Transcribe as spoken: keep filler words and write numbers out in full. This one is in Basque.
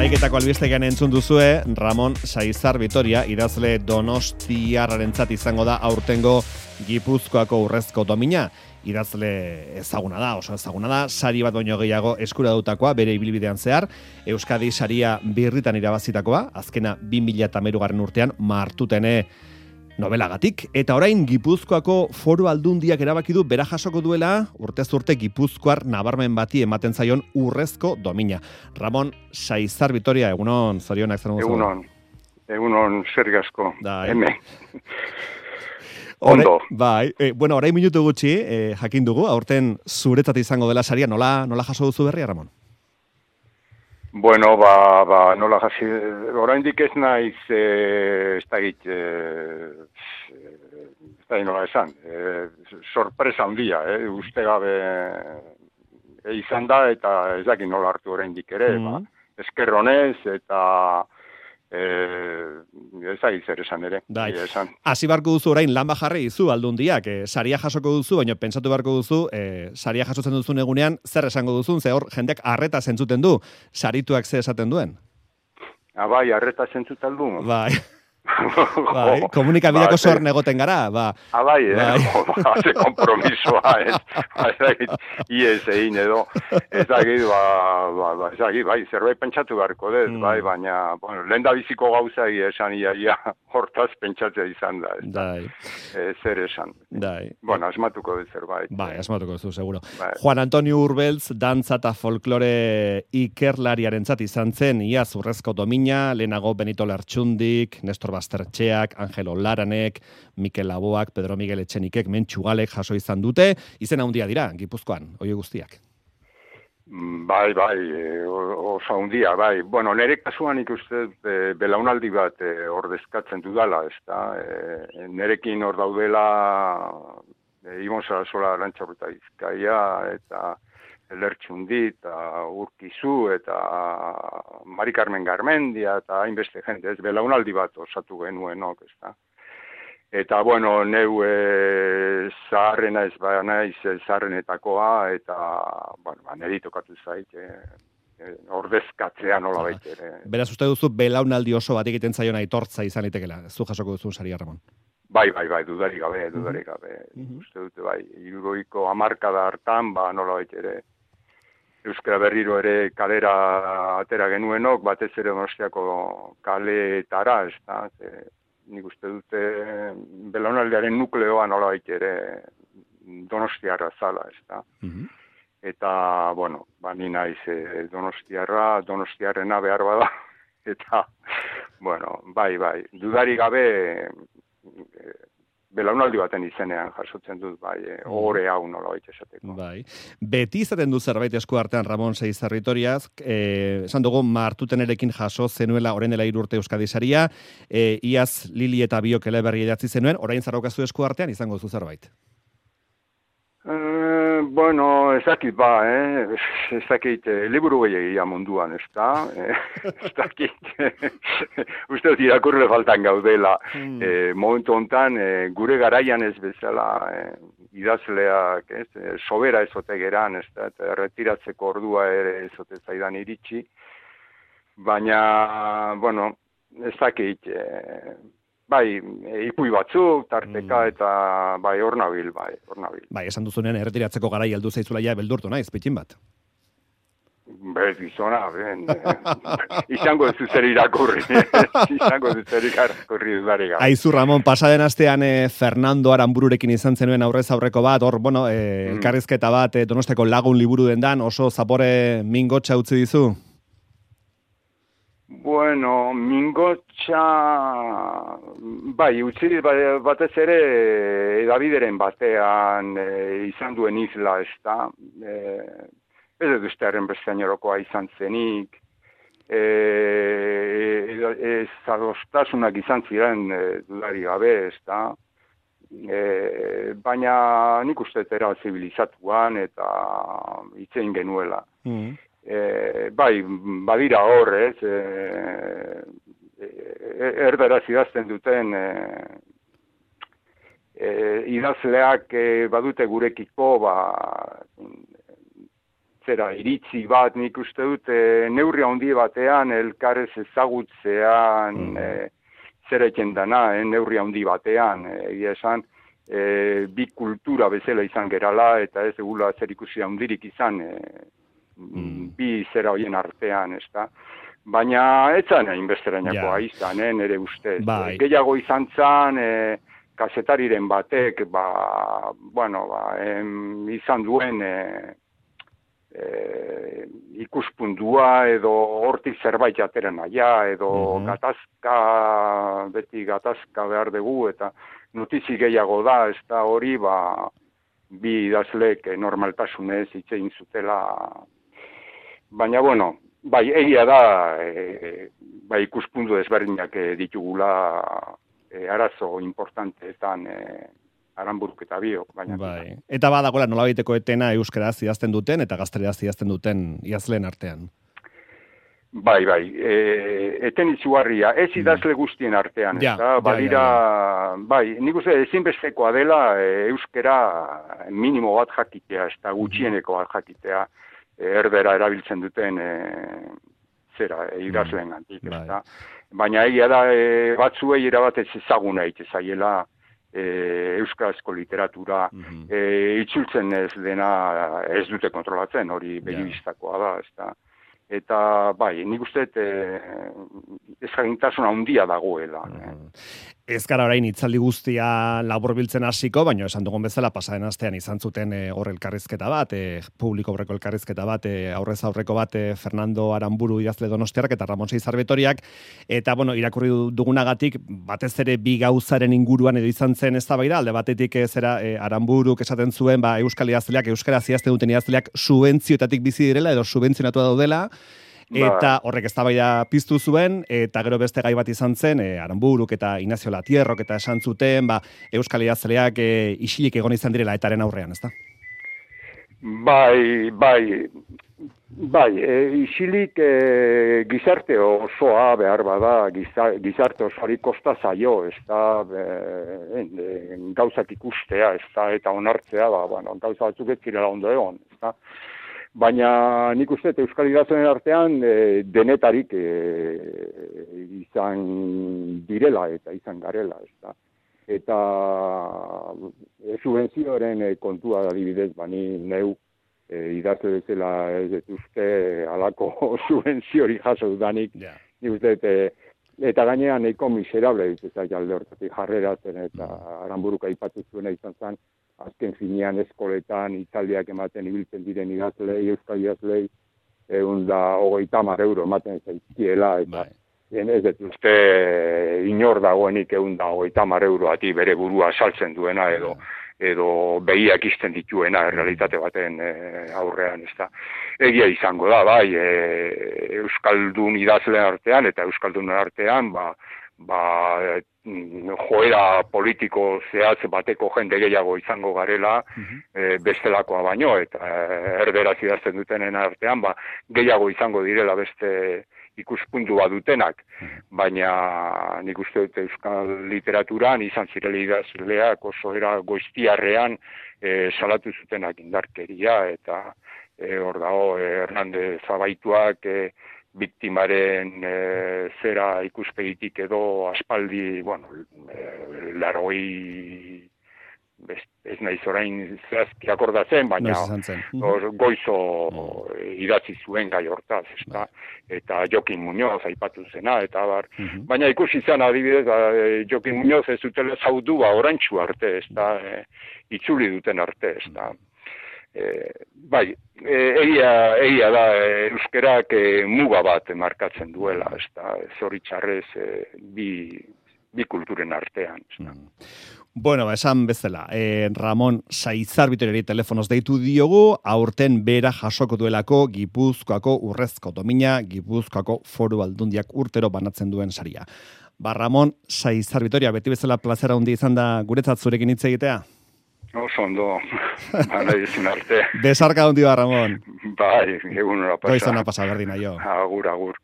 Hamaiketako albistegian entzun duzue, Ramon Saizar Vitoria, idazle donostiarrarentzat izango da aurtengo Gipuzkoako urrezko domina. Idazle ezaguna da, oso ezaguna da, sari bat baino gehiago eskura dutakoa, bere ibilbidean zehar, Euskadi saria birritan irabazitakoa, azkena bi mila hamairugarren urtean, martutene nobelagatik, eta orain Gipuzkoako Foru Aldundiak erabaki du bera jasoko duela urtez urte Gipuzkoar nabarmen bati ematen zaion urrezko domina. Ramon Saizar Vitoria, egunon, zorionak zer mozu? Egunon, egunon zer gasko, hemen. Ondo. Bai, e, bueno, orain minutu gutxi, e, jakin dugu, aurten zuretzat izango dela saria, nola, nola jaso duzu berria, Ramon? Bueno, ba, ba, nola jasi, oraindik ez naiz, eh, ez da git, eh, ez da nola esan, eh, sorpresa handia, eh, uste gabe eh, izan da, eta ez dakit nola hartu oraindik ere, mm. ba, eskerronez, eta eh, ez da zer esan ere. Dai, hasi barko duzu orain lan bajarri izu aldundiak, eh, saria jasoko duzu, baina pentsatu barko duzu, eh, saria jasotzen duzun egunean, zer esango duzun, ze hor jendeak arreta zentzuten du, sarituak ze esaten duen? Ah, bai, arreta zentzuten du. Bai. Bai, komunikabideako ba, zorn egoten gara, ba. Ah, bai, bai. Eh? Haze kompromisoa, ez. Iez egin edo. Ez dakit, ba, ba, ba, ez dakit, bai, zerbait pentsatu beharko dez, mm. bai, baina, bueno, lehen da biziko gauza esan iaia hortaz pentsatzea izan da, ez da. E, zer esan. Dai. Bueno, asmatuko dut zerbait. Bai, asmatuko duzu, seguro. Bai. Juan Antonio Urbeltz, dantza eta folklore ikerlariarentzat izan zen, iaz urrezko domina, lehenago Benito Lertxundik, Nestor Bastertxeak, Angelo Laranek, Mikel Laboak, Pedro Miguel Etxenikek, Mentxugalek jaso izan dute, izen handia dira, Gipuzkoan, hoi guztiak. Bai, bai, oso handia, bai. Bueno, nire kasuan ikuste e, belaunaldi bat e, ordezkatzen dudala, ez da. E, nerekin hor daudela e, Ibon Sarasola Arantxaurreta Bizkaia, eta Lertxundi, eta Urkizu, eta Mari Carmen Garmendia, eta hainbeste jende, ez belaunaldi bat osatu genuenok, ez da. Eta, bueno, neu e, zaharrena ez ba naiz zaharrenetakoa, eta, bueno, ba, neri tokatu zait, e, e, ordezkatzea nola baitere. Beraz, uste duzu, belaunaldi oso bat egiten zaion aitortza izan itekela, ez du jasoko duzu saria, Ramon? Bai, bai, bai, dudarik gabe, dudarik gabe. Mm-hmm. Uste dute, bai, hirurogeiko hamarkada hartan, ba, nola baitere, Euskara Berriro ere kalera atera genuenok, batez ere Donostiako kaleetara, ez da, nik uste dute belaunaldiaren nukleoa nolabait ere Donostiarra zala, ez da. Mm-hmm. Eta, bueno, ba, ni naiz e, Donostiarra, Donostiarrena behar bada, eta, bueno, bai, bai, dudarik gabe e, belaunaldi baten izenean jasotzen dut, bai, e, ore hau nolabait esateko. Bai. Beti izaten du zerbait esku artean Ramon Saizar Vitoriaz, eh, esan dugu martutenerekin jaso zenuela orain dela hiru urte Euskadi saria, eh, iaz Lili eta Biok eleberri idatzi zenuen, orain zaraukazu esku artean izango zu zerbait. Eh, bueno, ezakit ba, eh? ezakit, eh, liburu gehiagia munduan, ez da? Eh, ezakit, uste dut irakurle faltan gaudela. Mm. Eh, momentu hontan, eh, gure garaian ez bezala, eh, idazleak, ez, eh, sobera ezote geran, ez da, eta retiratzeko ordua ere ezote zaidan iritsi. Baina, bueno, ezakit, eh, bai, ipui batzuk, tarteka, mm. eta bai, hor nabil, bai, hor nabil. Bai, esan duzunean, erretiratzeko garai heldu zaizula ja beldurtu naiz, pitxin bat. Bez, izona, ben, izango ez zer irakurri, izango ez zer irakurri dudari gara. Aizu, Ramon, pasaden astean eh, Fernando Aranbururekin izan zenuen aurrez aurreko bat, hor, bueno, eh, mm. elkarrizketa bat, eh, Donosteko lagun liburu dendan, oso zapore mingotxa utzi dizu? Bueno, mingotxa, bai, utzi batez ere edabideren batean e, izan duen isla, ez da, e, ez dut ustearen bestainerokoa izan zenik, e, ez adostasunak izan ziren e, dudari gabe, ez da, e, baina nik uste era zibilizatuan eta itzein genuela. Mm. E, bai, badira hor, ez, e, e, erdaraz idazten duten e, e, idazleak e, badute gurekiko, ba, zera, iritzi bat nik uste dut e, neurri handi batean elkarrez ezagutzean mm. e, zer eken dana, e, neurri handi batean, egia esan, e, bi kultura bezala izan gerala eta ez egula zer ikusi handirik izan e, mm. bi zera hoien artean, ez da. Baina ez zan hainbesterainakoa yeah. izan, eh, nire ustez. Bai. Gehiago izan zan, e, kazetariren batek, ba, bueno, ba, em, izan duen e, e, ikuspundua edo hortik zerbait jateren naia, edo mm-hmm. gatazka, beti gatazka behar dugu, eta notizi gehiago da, ez da hori, ba, bi idazlek normaltasunez hitzein zutela. Baina, bueno, bai, egia da, e, bai, ikuspundu desberdinak e, ditugula e, arazo importanteetan e, Aranburuk eta biok. Baina, bai. Eta badagoela nolabaiteko etena euskaraz idazten duten eta gazteleraz idazten duten idazleen artean. Bai, bai, e, eten izugarria, ez idazle guztien artean, ja, eta badira, ja, ja, ja. bai, nik uste ezinbestekoa dela e, euskera minimo bat jakitea, ez da gutxieneko bat jakitea, erdera erabiltzen duten e, zera, e, idazleen gantik, ez da. Baina egia da, e, batzuei erabatez ezaguna itezaiela e, euskarazko literatura, mm-hmm. e, itzultzen ez dena ez dute kontrolatzen, hori begibistakoa da, ez da. Eta, bai, nik uste e, ezjagintasuna handia dagoela. Mm. Ez gara orain itzaldi guztia laburbiltzen hasiko, baina esan dugun bezala pasaren astean izan zuten e, hor elkarrizketa bat, e, publiko aurreko elkarrizketa bat, e, aurrez aurreko bat e, Fernando Aranburu idazle donostiarrak eta Ramon Saitzar Betoriak, eta bueno, irakurri dugunagatik batez ere bi gauzaren inguruan edo izan zen eztabaida, alde batetik e, zera e, Aranburuk esaten zuen, ba, euskal idazleak, euskara idazten duten idazleak subentzioetatik bizi direla edo subentzionatua daudela, eta horrek eztabaida piztu zuen, eta gero beste gai bat izan zen, e, Aranburuk eta Ignacio Latierrok eta esan zuten, ba, euskal idazleak e, isilik egon izan direla etaren aurrean, ezta? Bai, bai, bai, e, isilik e, gizarte osoa behar bada, gizarte osoari kosta zaio, ezta, e, e, gauzak ikustea, ezta, eta onartzea, ba, bueno, gauza batzuk ez kirela ondo egon, ezta. Baina nik uste euskal idazleen artean e, denetarik e, izan direla eta izan garela. Ezta. Eta e, subentzioaren e, kontua adibidez, bani neu e, idazle bezala ez dut uste halako subentziori jaso dudanik. Yeah. Nik uste e, eta gainean nahiko miserable ez alde hortatik jarreratzen eta Aranburuk aipatu zuena izan zen, azken finean eskoletan itzaldiak ematen ibiltzen diren idazlei, euskal idazlei, egun da hogeita hamar euro ematen zaizkiela, eta ez dut uste inor dagoenik egun da hogeita hamar euro ati bere burua saltzen duena edo edo behiak izten dituena errealitate baten e, aurrean, ez da. Egia izango da, bai, e, euskaldun idazleen artean eta euskaldunen artean, ba, ba, joera politiko zehatz bateko jende gehiago izango garela, uh-huh. e, bestelakoa baino, eta erderaz idazten dutenen artean, ba, gehiago izango direla beste ikuspuntu bat dutenak, uh-huh. baina nik uste dut euskal literaturan izan zirela idazleak oso era goiztiarrean e, salatu zutenak indarkeria, eta e, hor dago e, Hernandez Zabaituak e, biktimaren e, zera ikuspegitik edo aspaldi, bueno, e, largoi, ez, ez nahiz orain zehazki akordatzen, baina or, goizo mm. idatzi zuen gai hortaz, ezta? Eta Jokin Muñoz aipatu zena, eta bar. Mm-hmm. Baina ikusi zen adibidez, Jokin Muñoz ez dutela zaudu ba orantxu arte, ezta? E, itzuli duten arte, ezta? E, bai, e, egia, egia da e, euskerak e, muga bat markatzen duela, ez da, zoritxarrez e, bi, bi kulturen artean. Mm. Bueno, ba, esan bezala, e, Ramon Saitzar Betoriari telefonoz deitu diogu, aurten bera jasoko duelako Gipuzkoako urrezko domina, Gipuzkoako foru aldundiak urtero banatzen duen saria. Ba, Ramon Saitzar Betoria, beti bezala plazera handi izan da guretzat zurekin hitz egitea? Oso ondo, bala izin arte. Besarka handi ba, Ramon. Bai, egun hora pasa. Goizona pasa, berdina jo. Agur, agur.